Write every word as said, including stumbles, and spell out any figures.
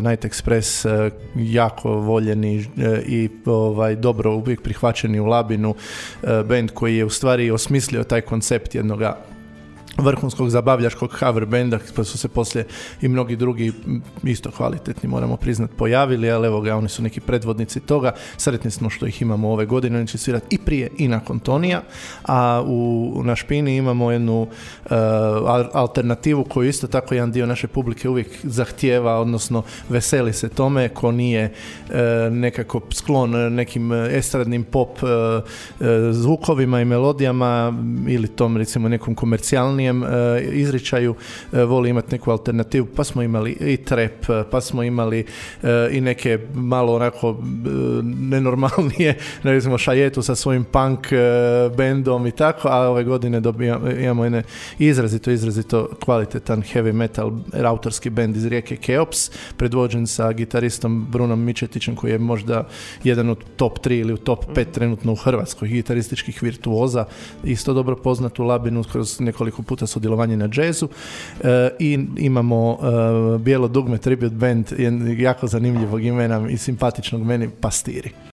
Night Express jako voljeni i ovaj, dobro uvijek prihvaćeni u Labinu, band koji je u stvari osmislio taj koncept jednoga vrhunskog zabavljačkog cover benda, pa su se poslije i mnogi drugi isto kvalitetni, moramo priznat, pojavili, ali evo ga, oni su neki predvodnici toga. Sretni smo što ih imamo ove godine, oni će svirati i prije i nakon Tonija, a u, na Špini imamo jednu uh, alternativu koju isto tako jedan dio naše publike uvijek zahtijeva, odnosno veseli se tome, ko nije uh, nekako sklon nekim estradnim pop uh, uh, zvukovima i melodijama ili tom recimo nekom komercijalnijem izričaju, voli imati neku alternativu, pa smo imali i trap, pa smo imali i neke malo onako nenormalnije, recimo Šajetu sa svojim punk bendom i tako, a ove godine dobijamo, imamo jedne izrazito, izrazito kvalitetan heavy metal autorski bend iz Rijeke Keops, predvođen sa gitaristom Brunom Mičetićem, koji je možda jedan od top tri ili u top pet trenutno u Hrvatskoj gitarističkih virtuoza, isto dobro poznat u Labinu kroz nekoliko puta sudjelovanje na džezu, e, i imamo e, Bijelo dugme tribute band jako zanimljivog imena i simpatičnog meni, Pastiri.